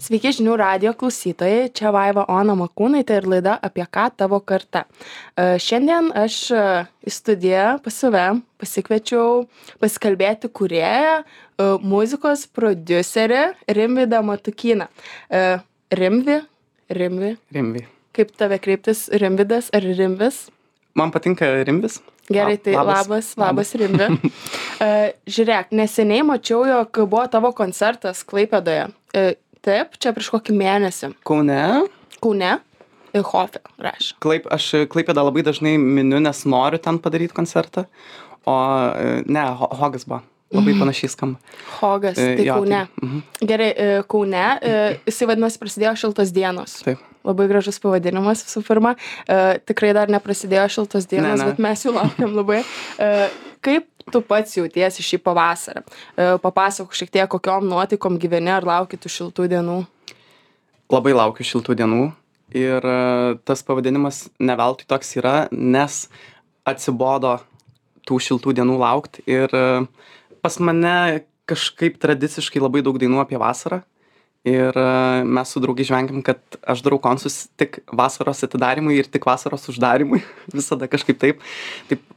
Sveiki žinių radijo klausytojai, čia Vaiva Ona Makūnaitė ir laida Apie ką tavo karta. Šiandien aš į studiją pas save pasikviečiau pasikalbėti kūrėją, muzikos prodiuserį Rimvydą Matukyną. Rimvi? Rimvi. Kaip tave kreiptis, Rimvydas ar Rimvis? Man patinka Rimvis. Gerai, tai labas Rimvi. Žiūrėk, neseniai mačiau, jog buvo tavo koncertas Klaipėdoje. Taip, čia prieš kokį mėnesį. Kaune. Hofe rašė. Aš Klaipėdą labai dažnai miniu, nes noriu ten padaryti koncertą. O ne, Hogas buvo. Labai panašiai skamba. Hogas, tai jo, Kaune. Tai, Gerai, Kaune, jisai vadinasi prasidėjo šiltos dienos. Taip. Labai gražus pavadinimas visų pirma. Tikrai dar neprasidėjo šiltos dienos, Ne. bet mes jų laukiam labai. Kaip tu pats jautiesi šį pavasarį? Papasakok šiek tiek, kokiom nuotaikom gyveni, ar lauki tų šiltų dienų? Labai laukiu šiltų dienų. Ir tas pavadinimas ne veltui toks yra, nes atsibodo tų šiltų dienų laukti. Ir pas mane kažkaip tradiciškai labai daug dainų apie vasarą. Ir mes su draugai žvengiam, kad aš darau konsus tik vasaros atidarimui ir tik vasaros uždarimui. Visada kažkaip taip.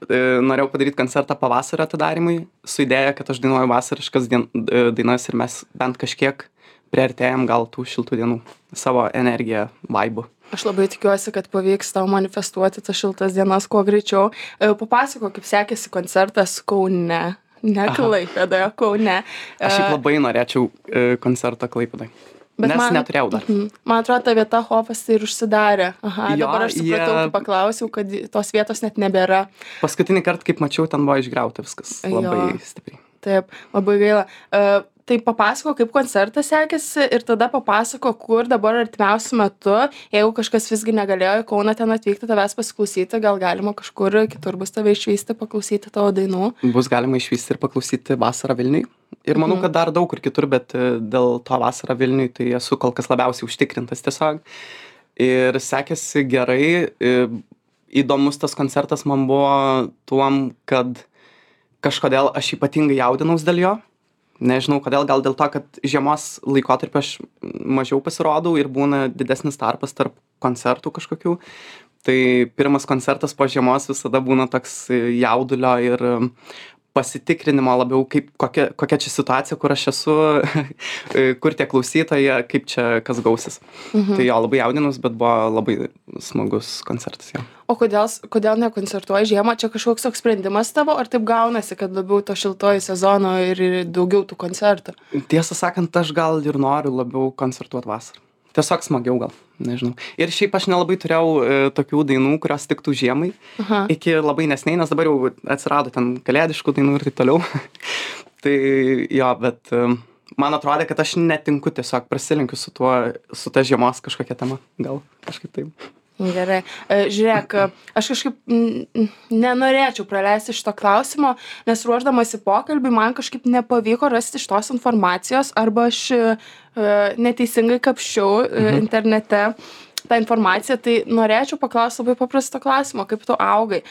Norėjau padaryti koncertą pavasario atidarimui su idėja, kad aš dainuoju vasariškas dainas ir mes bent kažkiek priartėjam gal tų šiltų dienų savo energiją, vaibu. Aš labai tikiuosi, kad pavyks tau manifestuoti tas šiltas dienas kuo greičiau. Papasakok, kaip sekėsi koncertas Kaune. Ne Klaipėdoje, Kaune. Aš šiaip labai norėčiau koncertą Klaipėdai. Nes neturėjau dar. Man atrodo, ta vieta Hofas tai ir užsidarė. Jo, Dabar aš supratau, kai paklausiau, kad tos vietos net nebėra. Paskutinį kartą, kaip mačiau, ten buvo išgriauta viskas labai stipriai. Taip, labai gaila. Tai papasako, kaip koncertas sekėsi ir tada papasako, kur dabar artimiausiu metu, jeigu kažkas visgi negalėjo į Kauną ten atvykti, tavęs pasiklausyti, gal galima kažkur kitur bus tave išvysti, paklausyti tavo dainų. Bus galima išvysti ir paklausyti vasarą Vilniui. Ir manau, kad dar daug kur kitur, bet dėl to vasarą Vilniui tai esu kol kas labiausiai užtikrintas tiesiog. Ir sekėsi gerai. Įdomus tas koncertas man buvo tuom, kad kažkodėl aš ypatingai jaudinaus dėl jo. Nežinau kodėl, gal dėl to, kad žiemos laikotarpį aš mažiau pasirodau ir būna didesnis tarpas tarp koncertų kažkokių. Tai pirmas koncertas po žiemos visada būna toks jaudulio ir pasitikrinimo labiau, kokia čia situacija, kur aš esu, kur tie klausytojai, kaip čia kas gausis. Tai jo, labai jaudinus, bet buvo labai smagus koncertas jo. O kodėl nekoncertuoji žiemą? Čia kažkoks toks sprendimas tavo, ar taip gaunasi, kad labiau to šiltojo sezono ir daugiau tų koncertų? Tiesą sakant, aš gal ir noriu labiau koncertuoti vasarą. Tiesiog smagiau gal, nežinau. Ir šiaip aš nelabai turėjau tokių dainų, kurios tiktų žiemai. Iki labai neseniai, nes dabar jau atsirado ten kalėdiškų dainų ir taip toliau. Tai jo, bet man atrodė, kad aš netinku, tiesiog prasilenkiu su ta žiemos kažkokia tema. Gal kažkaip taip. Gerai. Žiūrėk, aš kažkaip nenorėčiau praleisti šito klausimo, nes ruošdamasi pokalbį man kažkaip nepavyko rasti šitos informacijos arba aš neteisingai kapščiau internete tą informaciją, tai norėčiau paklausti labai paprasto klausimo, kaip tu augai.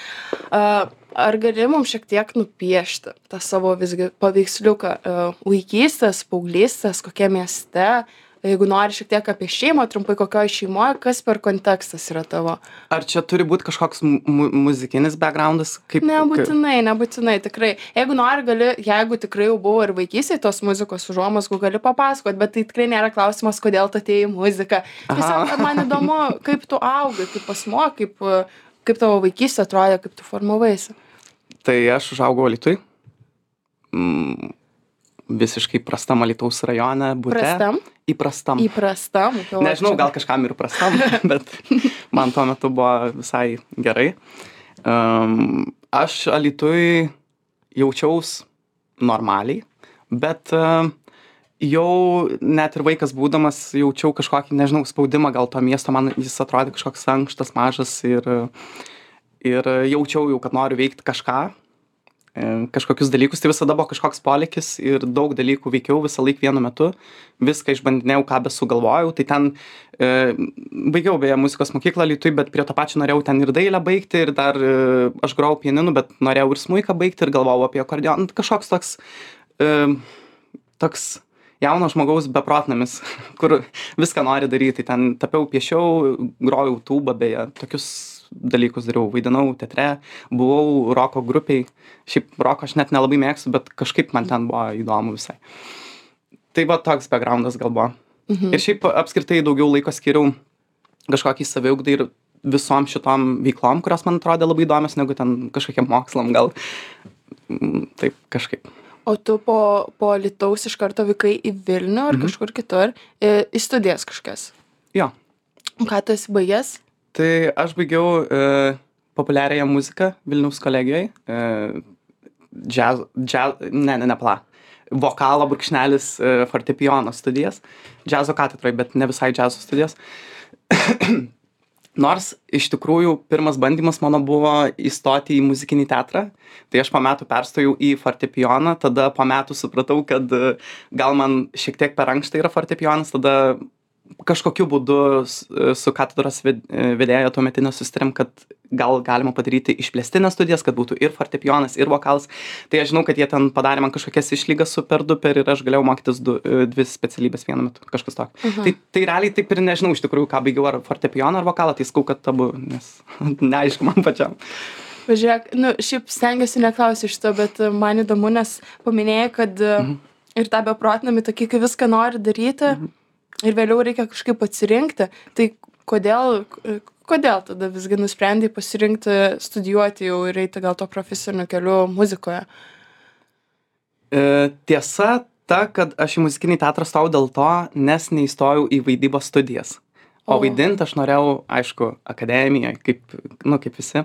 Ar gali mums šiek tiek nupiešti tą savo visgi paveiksliuką vaikystės, paauglystės, kokie mieste? Jeigu nori šiek tiek apie šeimą, trumpai kokioje šeimoje, kas per kontekstas yra tavo? Ar čia turi būti kažkoks muzikinis backgroundas? Nebūtinai, tikrai. Jeigu nori, gali, jeigu tikrai jau buvo ir vaikystėje tos muzikos užuomazgų, gali papasakoti, bet tai tikrai nėra klausimas, kodėl tu atėjai į muziką. Tiesiog man įdomu, kaip tu augai, kaip asmuo, kaip tavo vaikystė atrodė, kaip tu formavaisi. Tai aš užaugau Alytuj. Visiškai prastam Alytaus rajone bute. Prastam? Įprastam. Nežinau, gal kažkam ir prastam, bet man tuo metu buvo visai gerai. Aš Alytuj jaučiaus normaliai, bet jau net ir vaikas būdamas jaučiau kažkokį, nežinau, spaudimą gal to miesto, man jis atrodė kažkoks ankštas, mažas ir jaučiau jau, kad noriu veikti kažką. Kažkokius dalykus, tai visada buvo kažkoks polėkis ir daug dalykų veikiau visą laiką vienu metu, viską išbandinėjau, ką besugalvojau, tai ten baigiau beje muzikos mokyklą Alytuj, bet prie to pačio norėjau ten ir dailę baigti ir dar aš grojau pianinu, bet norėjau ir smuiką baigti ir galvojau apie akordeoną, kažkoks toks jauno žmogaus beprotnamis, kur viską nori daryti. Ten tapiau, piešiau, grojau tūbą, beje, tokius dalykus dariau, vaidinau teatre, buvau roko grupiai. Šiaip roko aš net nelabai mėgstu, bet kažkaip man ten buvo įdomu visai. Tai va toks backgroundas gal buvo. Ir šiaip apskritai daugiau laiko skiriau kažkokį saviugdai ir visom šitom veiklom, kurios man atrodė labai įdomios, negu ten kažkokiem mokslam gal. Taip, kažkaip. O tu po Alytaus iš karto vykai į Vilnių ar kažkur kitur, į studijas kažkas? Jo. Ką tu esi baigęs? Tai aš baigiau populiariąją muziką Vilniaus kolegijoj. Vokalo brūkšnelis fortepijono studijas. Džiazo katedroj, bet ne visai džiazo studijas. Nors iš tikrųjų pirmas bandymas mano buvo įstoti į muzikinį teatrą, tai aš po metų perstojau į fortepijoną, tada po metų supratau, kad gal man šiek tiek per ankšta yra fortepijonas, tada kažkokiu būdu su katedros vedėja tuometinė susitarėm, kad gal galima padaryti išplėstinės studijas, kad būtų ir fortepijonas, ir vokalas. Tai aš žinau, kad jie ten padarė man kažkokias išlygas super duper ir aš galėjau mokytis dvi specialybės vienu metu, kažkas tokio. Tai realiai taip ir nežinau iš tikrųjų, ką baigiau, ar fortepijoną, ar vokalą, tai skau, kad abu, nes neaišku man pačiam. Žiūrėk, šiaip stengiuosi neklausyti šito, bet man įdomu, nes paminėjai, kad ir tą beprotnamį tokį, kai viską nori daryti, ir vėliau reikia kažkaip atsirinkti. Tai kodėl tada visgi nusprendei pasirinkti studijuoti jau ir eiti gal to profesiniu keliu muzikoje? Tiesa ta, kad aš į muzikinį teatrą stojau dėl to, nes neįstojau į vaidybos studijas. O vaidinti aš norėjau, aišku, akademijoje, kaip visi.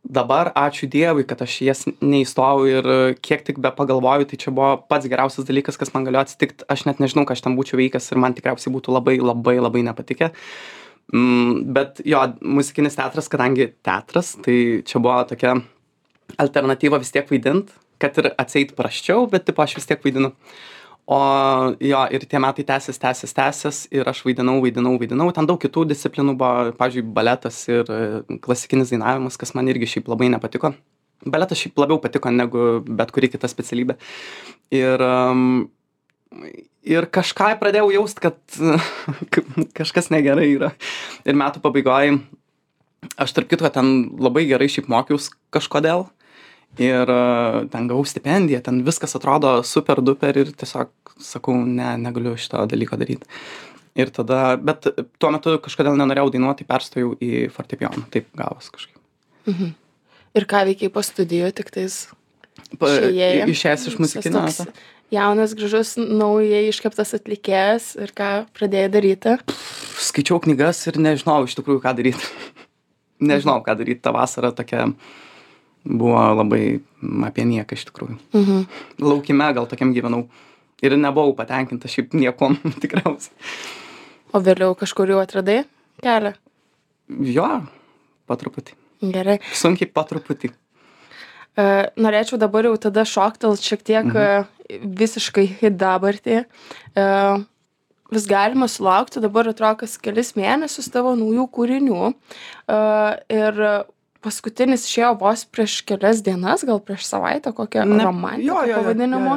Dabar ačiū Dievui, kad aš jas neįstojau ir kiek tik be pagalvoju, tai čia buvo pats geriausias dalykas, kas man galėjo atsitikti. Aš net nežinau, ką aš ten būčiau veikęs ir man tikriausiai būtų labai, labai, labai nepatikę. Bet jo, muzikinis teatras, kadangi teatras, tai čia buvo tokia alternatyva vis tiek vaidint, kad ir atseit prasčiau, bet tipo aš vis tiek vaidinu. O jo, ir tie metai tęsis ir aš vaidinau. Ten daug kitų disciplinų buvo, pavyzdžiui, baletas ir klasikinis dainavimas, kas man irgi šiaip labai nepatiko. Baletas šiaip labiau patiko negu bet kuri kita specialybė. Ir kažką pradėjau jaust, kad kažkas negerai yra. Ir metų pabaigoje aš tarp kitko ten labai gerai šiaip mokiaus kažkodėl. Ir ten gavau stipendiją, ten viskas atrodo super duper ir tiesiog sakau, negaliu šito dalyko daryti. Ir tada, bet tuo metu kažkodėl nenorėjau dainuoti, perstojau į fortepijoną, taip gavos kažkaip. Ir ką veikiai po studijų, tik tais išėjęs iš muzikinio? Jaunas, gražus, naujai iškeptas atlikėjas ir ką pradėjai daryti? Skaičiau knygas ir nežinau iš tikrųjų, ką daryti. Nežinau, ką daryti, ta vasara tokia buvo labai apie nieką iš tikrųjų. Laukime gal tokiam gyvenau. Ir nebuvau patenkinta šiaip niekom tikriausiai. O vėliau kažkur jau atradai kelią? Jo, po truputį. Gerai. Sunkiai po truputį. Norėčiau dabar jau tada šoktelt šiek tiek visiškai į dabartį. Vis galima sulaukti dabar atrodo kas kelis mėnesius tavo naujų kūrinių. Ir paskutinis išėjo vos prieš kelias dienas, gal prieš savaitę, kokią romantiką pavadinimu.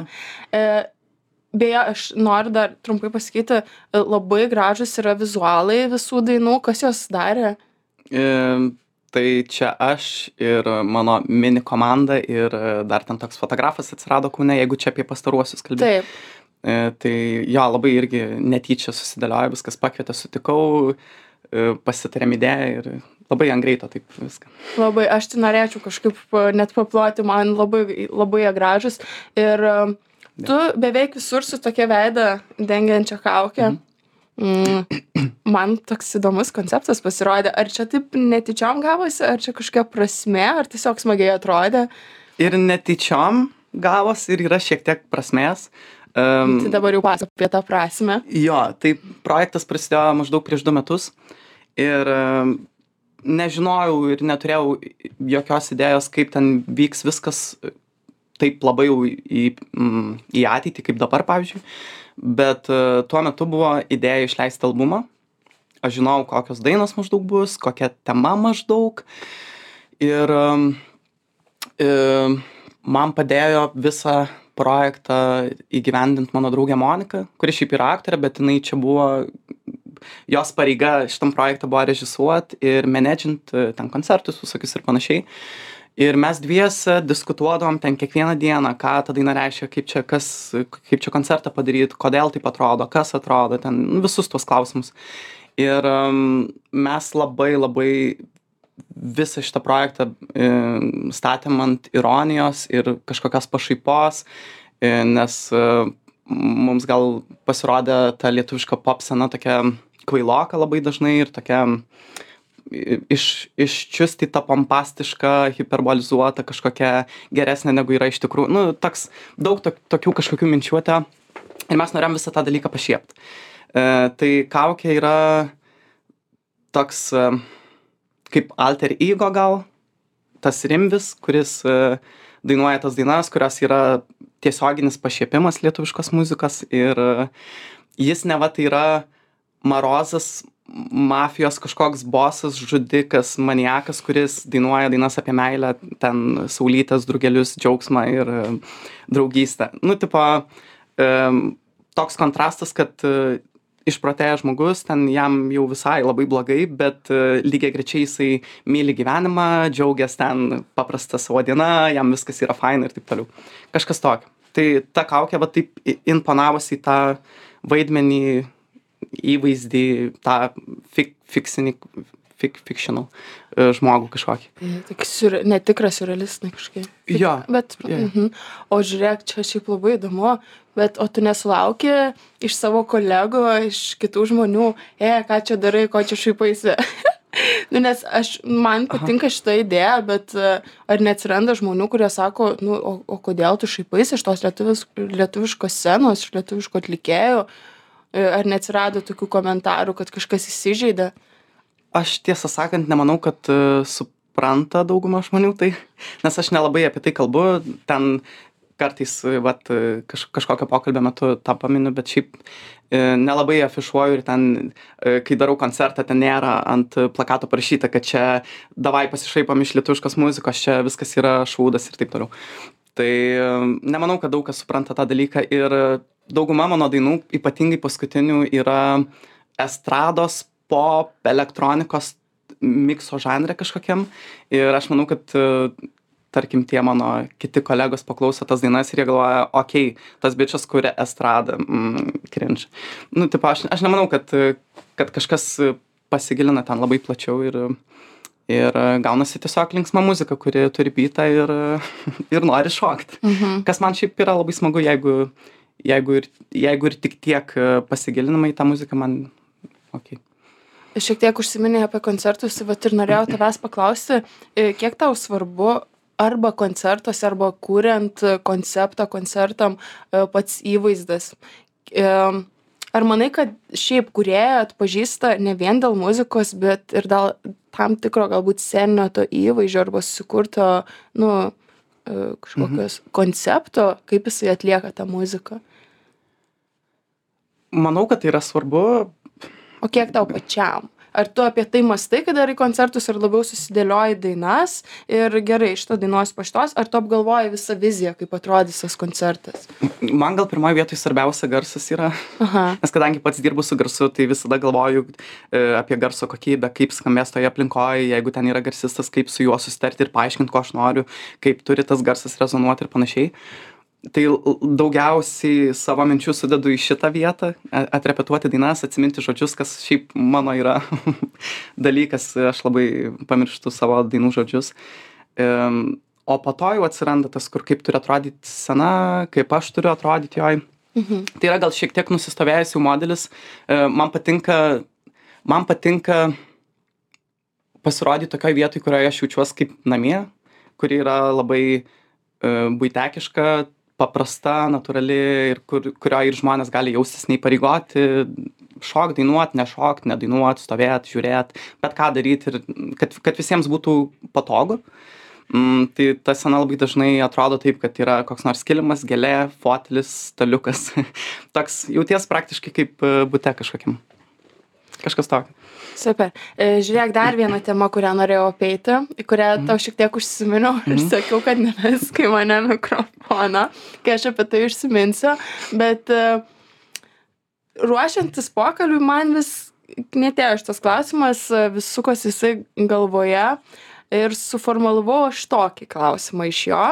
Beje, aš noriu dar trumpai pasakyti, labai gražus yra vizualai visų dainų. Kas jos darė? Tai čia aš ir mano mini komanda ir dar ten toks fotografas atsirado Kaune, jeigu čia apie pastaruosius kalbėjau. Taip. Tai jo, labai irgi netyčia susidėliojo, viskas pakvietė, sutikau, pasitarėm idėją ir labai ant greito taip viską. Labai, aš tai norėčiau kažkaip net paploti, man labai, labai jie gražus. Ir tu beveik visur su tokia veidą dengiančia kaukė. Man toks įdomus konceptas pasirodė. Ar čia taip netyčiom gavosi, ar čia kažkokia prasme, ar tiesiog smagiai atrodė? Ir netyčiom gavos ir yra šiek tiek prasmės. Tai dabar jau pasakok apie tą prasmę. Jo, tai projektas prasidėjo maždaug prieš 2 metus ir nežinojau ir neturėjau jokios idėjos, kaip ten vyks viskas taip labai jau į ateitį, kaip dabar, pavyzdžiui. Bet tuo metu buvo idėja išleisti albumą. Aš žinojau, kokios dainos maždaug bus, kokia tema maždaug. Ir man padėjo visą projektą įgyvendint mano draugė Monika, kuri šiaip yra aktorė, bet jinai čia buvo, jos pareiga šitam projektą buvo režisuot ir menedžint ten koncertus visokius ir panašiai. Ir mes dviese diskutuodavom ten kiekvieną dieną, ką ta daina reiškia, kaip čia koncertą padaryt, kodėl taip atrodo, kas atrodo, ten visus tuos klausimus. Ir mes labai visą šitą projektą statėm ant ironijos ir kažkokios pašaipos, nes mums gal pasirodė ta lietuviška pop scena tokia kvailoka labai dažnai ir tokia iščiustyta, pompastiška, hiperbolizuota, kažkokia geresnė negu yra iš tikrųjų. Nu, toks daug tokių kažkokių minčių atėjo ir mes norėjom visą tą dalyką pašiept. Tai Kaukė yra toks kaip alter ego gal, tas Rimvis, kuris dainuoja tas dainas, kurios yra tiesioginis pašiepimas lietuviškos muzikos ir jis neva tai yra Marozas, mafijos kažkoks bosas, žudikas, maniakas, kuris dainuoja dainas apie meilę, ten saulytes, drugelius, džiaugsmą ir draugystę. Nu, tipo, toks kontrastas, kad išprotėjęs žmogus, ten jam jau visai labai blogai, bet lygiai grečiai jisai myli gyvenimą, džiaugiasi ten paprasta savo diena, jam viskas yra faina ir taip toliau. Kažkas tokio. Tai ta Kaukė va taip imponavosi į tą vaidmenį, įvaizdį, tą fictional žmogų kažkokį. Netikras surrealistinai kažkaip. Jo. Bet, O žiūrėk, čia šiaip labai įdomu, bet o tu nesulauki iš savo kolegų, iš kitų žmonių, ką čia darai, ko čia šaipaisi? Nu, nes man patinka šita idėja, bet ar neatsiranda žmonių, kurie sako, nu, o kodėl tu šaipaisi iš tos lietuviškos scenos, iš lietuviško atlikėjų? Ar neatsirado tokių komentarų, kad kažkas įsižeidė? Aš tiesą sakant nemanau, kad supranta dauguma žmonių tai, nes aš nelabai apie tai kalbu, ten kartais vat, kažkokio pokalbio metu tą paminiu, bet šiaip nelabai afišuoju ir ten, kai darau koncertą, ten nėra ant plakato parašyta, kad čia davai pasišaipom iš lietuviškos muzikos, čia viskas yra šūdas ir taip toliau. Tai nemanau, kad daug kas supranta tą dalyką ir dauguma mano dainų, ypatingai paskutinių, yra estrados, pop, elektronikos mikso žanre kažkokiam. Ir aš manau, kad, tarkim, tie mano kiti kolegos paklauso tas dainas ir jie galvoja, okei, tas bičas kuria estradą, cringe. Nu, tipo, aš nemanau, kad kažkas pasigilina ten labai plačiau ir gaunasi tiesiog linksma muzika, kuri turi beatą ir nori šokt. Kas man šiaip yra labai smagu, jeigu ir tik tiek pasigilinama į tą muziką, man okei. Šiek tiek užsiminėjai apie koncertus, vat ir norėjau tavęs paklausti, kiek tau svarbu arba koncertuose, arba kuriant konceptą koncertam pats įvaizdas. Ar manai, kad šiaip kūrėja atpažįsta ne vien dėl muzikos, bet ir dėl tam tikro galbūt sceninio to įvaizdžio arba susikurto, nu, kažkokios koncepto, kaip jisai atlieka tą muziką? Manau, kad tai yra svarbu. O kiek tau pačiam? Ar tu apie tai mąstai, kai darai koncertus, ar labiau susidėlioji dainas ir gerai, šitą dainuos po šitos, ar tu apgalvoji visą viziją, kaip atrodys tas koncertas? Man gal pirmoje vietoje svarbiausia garsas yra, nes kadangi pats dirbu su garsu, tai visada galvoju apie garso kokybę, kaip skambės toje aplinkoje, jeigu ten yra garsistas, kaip su juo susitarti ir paaiškinti, ko aš noriu, kaip turi tas garsas rezonuoti ir panašiai. Tai daugiausiai savo minčių sudedu į šitą vietą, atrepetuoti dainas, atsiminti žodžius, kas šiaip mano yra dalykas, aš labai pamirštu savo dainų žodžius. O po to jau atsiranda tas, kur kaip turi atrodyti scena, kaip aš turiu atrodyti joj. Tai yra gal šiek tiek nusistovėjęs jau modelis. Man patinka pasirodyti tokioj vietoj, kurioje aš jaučiuosi kaip namie, kuri yra labai buitekiška, paprasta, natūrali ir kurioje ir žmonės gali jaustis neįpareigoti, šokt, dainuot, nešokt, nedainuot, stovėt, žiūrėt, bet ką daryti ir kad visiems būtų patogu. Tai ta scena labai dažnai atrodo taip, kad yra koks nors kilimas, gėlė, fotelis, staliukas. Toks jauties praktiškai kaip bute kažkokiam. kažkas tokio. Super. Žiūrėk, dar vieną temą, kurią norėjau apeiti, į kurią tau šiek tiek užsiminiau ir sakiau, kad nevesk į mane mikrofoną, kai aš apie tai užsiminsiu, bet ruošiantis pokalbiui man vis netėjo šitas klausimas, vis sukosi jisai galvoje ir suformulavau aš tokį klausimą iš jo.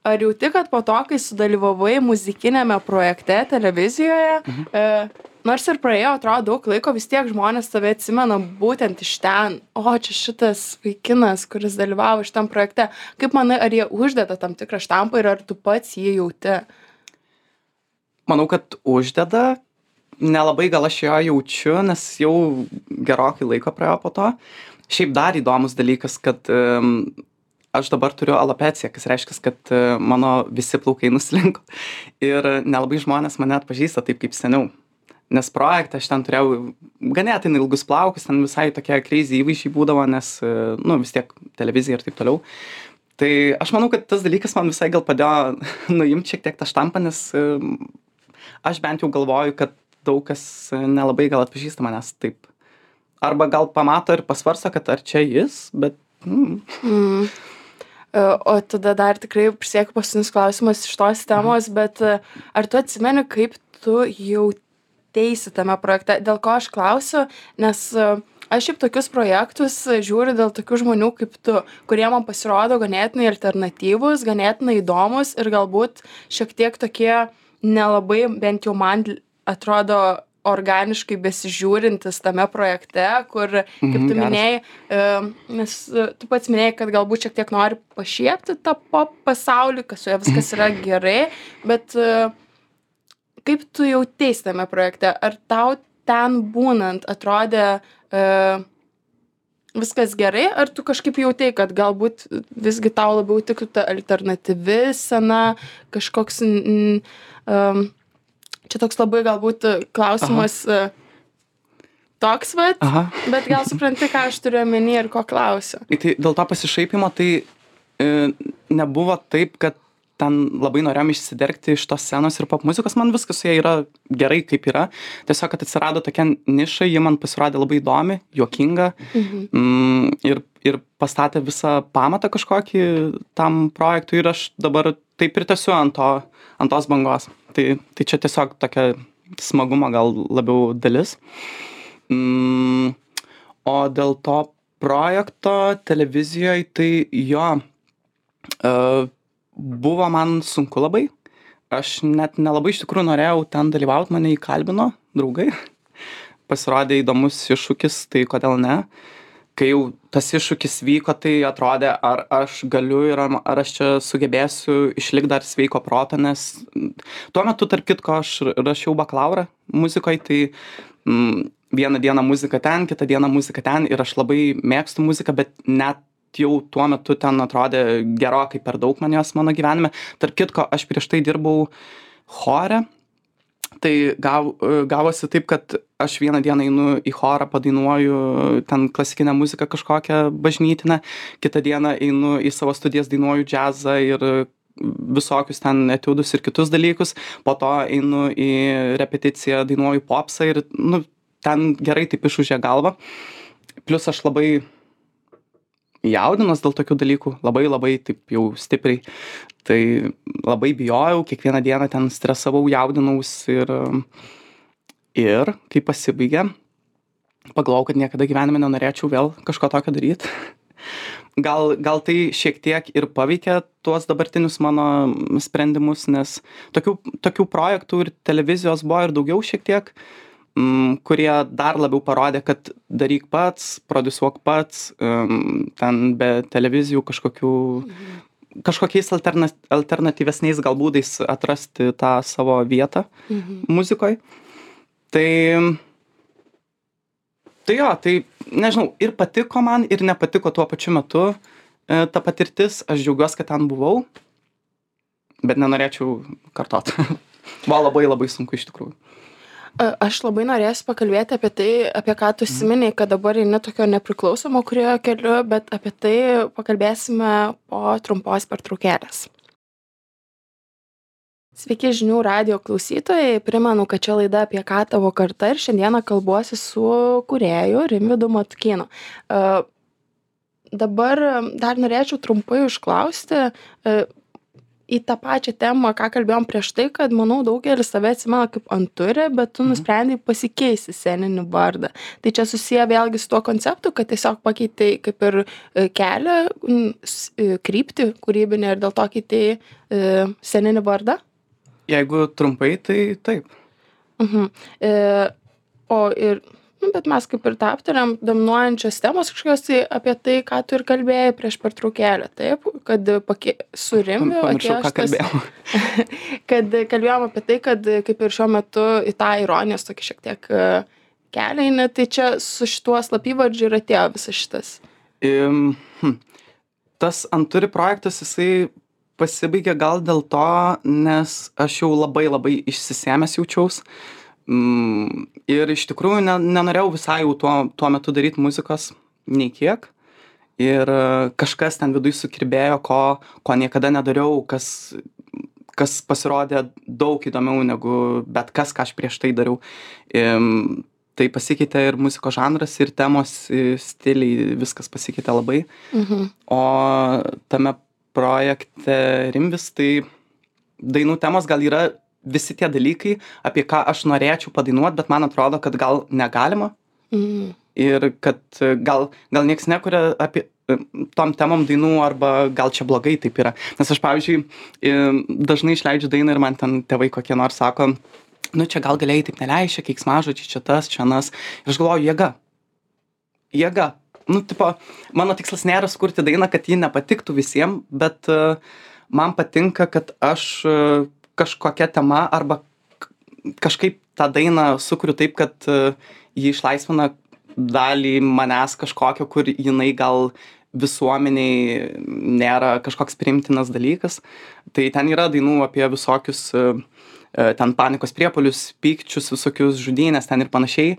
Ar jauti, kad po to, kai sudalyvavai muzikinėme projekte televizijoje, nors ir praėjo, atrodo, daug laiko, vis tiek žmonės tave atsimena būtent iš ten. O, čia šitas vaikinas, kuris dalyvavo šitam projekte. Kaip manai, ar jie uždeda tam tikrą štampą ir ar tu pats jį jauti? Manau, kad uždeda. Nelabai gal aš jo jaučiu, nes jau gerokai laiko praėjo po to. Šiaip dar įdomus dalykas, kad aš dabar turiu alopeciją, kas reiškia, kad mano visi plaukai nuslinko. Ir nelabai žmonės mane atpažįsta taip kaip seniau. Nes projekte aš ten turėjau ganėtinai ilgus plaukus, ten visai tokie crazy įvaizdžiai būdavo, nes, vis tiek televizija ir taip toliau. Tai aš manau, kad tas dalykas man visai gal padėjo nuimti šiek tiek tą štampą, nes aš bent jau galvoju, kad daug kas nelabai gal atpažįsta manęs taip. Arba gal pamato ir pasvarsto, kad ar čia jis, bet... O tada dar tikrai prisiekiu paskutinis klausimas iš tos temos, bet ar tu atsimeni, kaip tu jauteisi tame projekte? Dėl ko aš klausiu, nes aš šiaip tokius projektus žiūriu dėl tokių žmonių kaip tu, kurie man pasirodo ganėtinai alternatyvus, ganėtinai įdomus ir galbūt šiek tiek tokie nelabai, bent jau man atrodo, organiškai besižiūrintis tame projekte, kur, kaip tu minėjai, nes tu pats minėjai, kad galbūt šiek tiek nori pašiepti tą pop pasaulį, kad su juo viskas yra gerai, bet kaip tu jauteisi tame projekte? Ar tau ten būnant atrodė viskas gerai, ar tu kažkaip jautei, kad galbūt visgi tau labiau tiktų ta alternatyvi scena, kažkoks... Čia toks labai galbūt klausimas toks, bet gal supranti, ką aš turiu omeny ir ko klausiu. Tai dėl to pasišaipimo tai nebuvo taip, kad ten labai norėjom išsidergti iš tos scenos ir pop muzikos, man viskas su jie yra gerai kaip yra. Tiesiog, kad atsirado tokia niša, ji man pasirodė labai įdomi, juokinga ir pastatė visą pamatą kažkokį tam projektui ir aš dabar taip ir tęsiu ant tos bangos. Tai čia tiesiog tokia smagumo gal labiau dalis. O dėl to projekto televizijoje, tai jo, buvo man sunku labai. Aš net nelabai iš tikrųjų norėjau ten dalyvauti, mane įkalbino draugai. Pasirodė įdomus iššūkis, tai kodėl ne. Kai jau tas iššūkis vyko, tai atrodė, ar aš galiu ir ar aš čia sugebėsiu išlikti dar sveiko proto, nes tuo metu, tarp kitko, aš rašiau bakalaurą muzikoje, tai vieną dieną muzika ten, kitą dieną muzika ten ir aš labai mėgstu muziką, bet net jau tuo metu ten atrodė gerokai per daug man jos mano gyvenime. Tarp kitko, aš prieš tai dirbau chore. Tai gavosi taip, kad aš vieną dieną einu į chorą, padainuoju ten klasikinę muziką kažkokią bažnytinę, kitą dieną einu į savo studijas, dainuoju džiazą ir visokius ten etiudus ir kitus dalykus, po to einu į repeticiją, dainuoju popsą ir ten gerai taip išūžė galvą. Plius aš labai jaudinos dėl tokių dalykų, labai taip jau stipriai. Tai labai bijojau, kiekvieną dieną ten stresavau, jaudinaus ir kai pasibaigė, pagalvojau, kad niekada gyvenime nenorėčiau vėl kažko tokio daryti. Gal tai šiek tiek ir paveikė tuos dabartinius mano sprendimus, nes tokių projektų ir televizijos buvo ir daugiau šiek tiek, kurie dar labiau parodė, kad daryk pats, prodiusuok pats, ten be televizijų kažkokiais alternatyvesniais gal būdais atrasti tą savo vietą muzikoje. Tai jo, tai nežinau, ir patiko man, ir nepatiko tuo pačiu metu ta patirtis. Aš džiaugiuosi, kad ten buvau, bet nenorėčiau kartot. Buvo labai sunku iš tikrųjų. Aš labai norėsiu pakalbėti apie tai, apie ką tu užsiminei, kad dabar eini tokio nepriklausomo kūrėjo keliu, bet apie tai pakalbėsime po trumpos pertraukėlės. Sveiki žinių radijo klausytojai, primenu, kad čia laida apie ką tavo karta ir šiandieną kalbuosi su kūrėju Rimvydu Matukynu. Dabar dar norėčiau trumpai užklausti į tą pačią temą, ką kalbėjom prieš tai, kad manau daugelis tave atsimena kaip Anturi, bet tu nusprendei pasikeisti sceninį vardą. Tai čia susiję vėlgi su tuo konceptu, kad tiesiog pakeitei kaip ir kelią, kryptį kūrybinę ir dėl to keitei sceninį vardą? Jeigu trumpai, tai taip. Bet mes kaip ir tą aptariam, dominuojančios temos kažkokios tai apie tai, ką tu ir kalbėjai prieš pertraukėlę, taip? Kad su Rimviu Pamiršau, ką kalbėjau. kad kalbėjom apie tai, kad kaip ir šiuo metu į tą ironijos tokį šiek tiek kelią eini, tai čia su šituo slapyvardžiu ir atėjo visas šitas. Tas Anturi projektas, jisai pasibaigė gal dėl to, nes aš jau labai išsisėmęs jaučiaus. Ir iš tikrųjų nenorėjau visai jau tuo metu daryti muzikos nei kiek. Ir kažkas ten viduj sukirbėjo, ko niekada nedariau, kas pasirodė daug įdomiau negu bet kas, ką aš prieš tai dariau. Tai pasikeitė ir muzikos žanras, ir temos, stiliai, viskas pasikeitė labai. O tame projekte Rimvis, tai dainų temos gal yra visi tie dalykai, apie ką aš norėčiau padainuot, bet man atrodo, kad gal negalima. Ir kad gal nieks nekuria apie tom temom dainų, arba gal čia blogai taip yra. Nes aš, pavyzdžiui, dažnai išleidžiu dainą ir man ten tėvai kokie nors sako, nu čia gal galėjai taip neleisti, keiksmažodžiai, čia tas, čia anas. Ir aš galvoju, jėga. Nu, tipo, mano tikslas nėra sukurti dainą, kad ji nepatiktų visiems, bet man patinka, kad aš kažkokia tema arba kažkaip tą dainą sukuriu taip, kad ji išlaisvina dalį manęs kažkokio, kur jinai gal visuomeniai nėra kažkoks priimtinas dalykas. Tai ten yra dainų apie visokius ten panikos priepuolius, pykčius, visokius žudynės ten ir panašiai.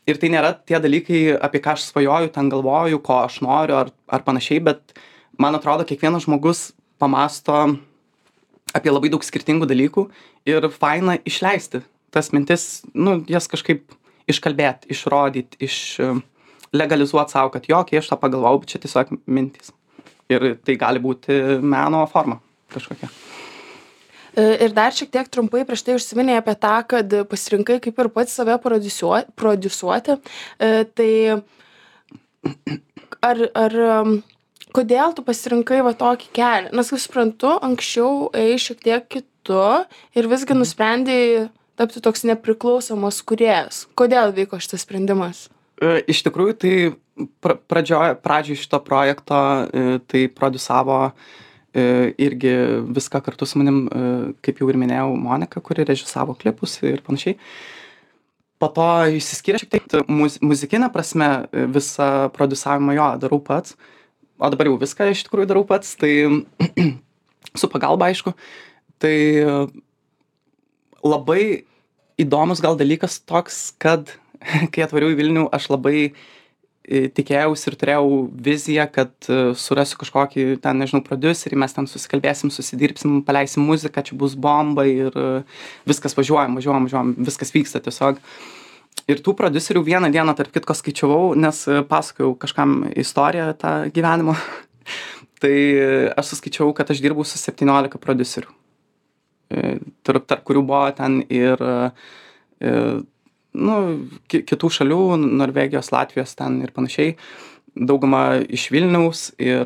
Ir tai nėra tie dalykai, apie ką aš svajoju, ten galvoju, ko aš noriu ar panašiai, bet man atrodo, kiekvienas žmogus pamasto apie labai daug skirtingų dalykų ir faina išleisti tas mintis, nu, jas kažkaip iškalbėti, išrodyti, legalizuoti savo, kad jo, kai aš tą pagalvojau, bet čia tiesiog mintys. Ir tai gali būti meno forma kažkokia. Ir dar šiek tiek trumpai prieš tai užsiminėjai apie tą, kad pasirinkai kaip ir pats save prodiusuoti. Tai kodėl tu pasirinkai va tokį kelią? Nes, kaip suprantu, anksčiau ėjai šiek tiek kitu ir visgi nusprendei tapti toks nepriklausomas kūrėjas. Kodėl vyko šitas sprendimas? Iš tikrųjų, tai pradžioj šito projekto tai prodiusavo irgi viską kartu su manim, kaip jau ir minėjau, Monika, kuri režisavo klipus ir panašiai. Po to išsiskyrė šiek tiek muzikinė prasme, visą prodiusavimą jo darau pats. O dabar jau viską iš tikrųjų darau pats, tai su pagalba, aišku. Tai labai įdomus gal dalykas toks, kad kai atvariau į Vilnių, aš labai tikėjausi ir turėjau viziją, kad surasiu kažkokį ten, nežinau, prodiuserį, mes ten susikalbėsim, susidirbsim, paleisim muziką, čia bus bomba ir viskas važiuojam, viskas vyksta tiesiog. Ir tų prodiuserių vieną dieną, tarp kitko, skaičiavau, nes pasakojau kažkam istoriją tą gyvenimo. Tai aš suskaičiavau, kad aš dirbau su 17 prodiuserių. Tarp kurių buvo ten ir kitų šalių, Norvegijos, Latvijos ten ir panašiai. Dauguma iš Vilniaus. Ir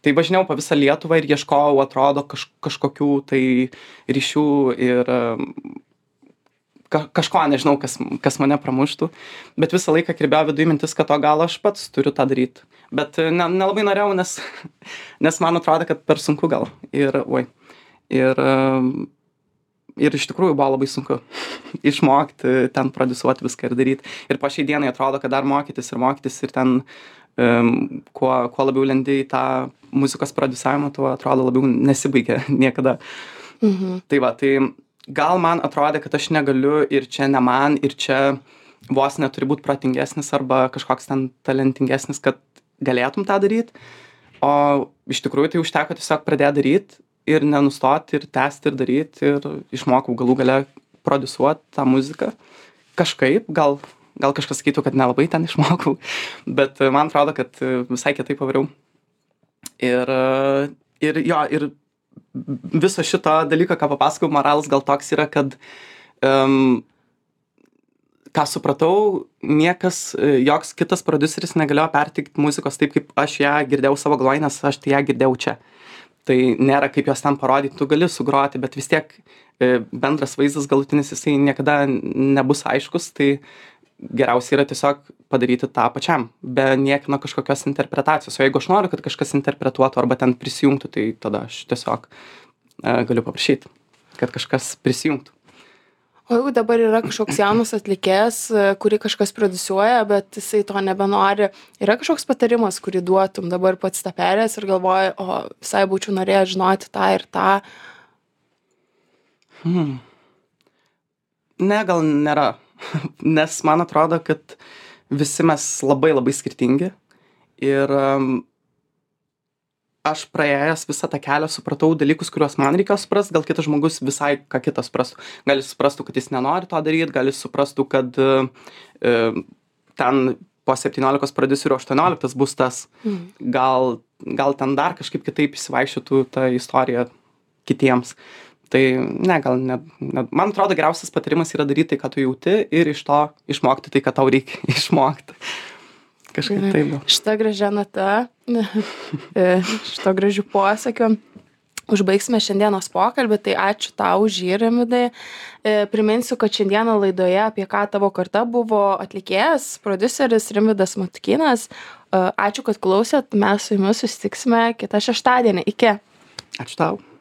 tai važinėjau po visą Lietuvą ir ieškojau, atrodo, kažkokių tai ryšių ir kažko, nežinau, kas mane pramuštų, bet visą laiką kirbėjo viduje mintis, kad gal aš pats turiu tą daryti. Bet nelabai norėjau, nes man atrodo, kad per sunku gal. Ir iš tikrųjų buvo labai sunku išmokti ten prodiusuoti viską ir daryti. Ir po šiai dienai atrodo, kad dar mokytis ir ten kuo labiau lendi į tą muzikos prodiusavimą, tuo atrodo labiau nesibaigia niekada. Tai va, tai gal man atrodė, kad aš negaliu ir čia ne man, ir čia vos neturi būti protingesnis arba kažkoks ten talentingesnis, kad galėtum tą daryti. O iš tikrųjų tai užteko tiesiog pradėti daryti ir nenustoti, ir tęsti, ir daryti, ir išmokau galų gale prodiusuoti tą muziką. Kažkaip, gal kažkas sakytų, kad nelabai ten išmokau, bet man atrodo, kad visai kitaip pavariau. Ir viso šito dalyko, ką papasakau, moralas gal toks yra, kad ką supratau, niekas, joks kitas prodiuseris negalėjo perteikti muzikos taip, kaip aš ją girdėjau savo galvoj, nes aš tai ją girdėjau čia. Tai nėra kaip jos ten parodyti, tu gali sugroti, bet vis tiek bendras vaizdas galutinis, jisai niekada nebus aiškus, tai geriausia yra tiesiog padaryti tą pačiam, be niekino kažkokios interpretacijos. O jeigu aš noriu, kad kažkas interpretuotų arba ten prisijungtų, tai tada aš tiesiog galiu paprašyti, kad kažkas prisijungtų. O jeigu dabar yra kažkoks jaunas atlikėjas, kurį kažkas prodiusuoja, bet jisai to nebenori, yra kažkoks patarimas, kurį duotum dabar pats tą perėjęs ir galvoji, o visai būčiau norėjęs žinoti tą ir tą? Ne, gal nėra. Nes man atrodo, kad visi mes labai labai skirtingi. Ir aš praėjęs visą tą kelią supratau dalykus, kuriuos man reikėjo suprasti, gal kitas žmogus visai ką kitą suprastų. Gal jis suprastų, kad jis nenori to daryti, gal jis suprastų, kad ten po 17 prodiuserių 18 bus tas. Gal ten dar kažkaip kitaip įsivaikščiotų tą istoriją kitiems. Tai ne, gal ne. Man atrodo, geriausias patarimas yra daryti tai, ką tu jauti ir iš to išmokti tai, ką tau reikia išmokti. Kažkaip taip. Šitą gražią natą, šito gražių posakių. Užbaigsime šiandienos pokalbį, tai ačiū tau už jį, Rimvydai. Priminsiu, kad šiandieną laidoje Apie ką tavo karta buvo atlikėjas, prodiuseris Rimvydas Matukynas. Ačiū, kad klausėt, mes su jumis susitiksime kitą šeštadienį. Iki. Ačiū tau.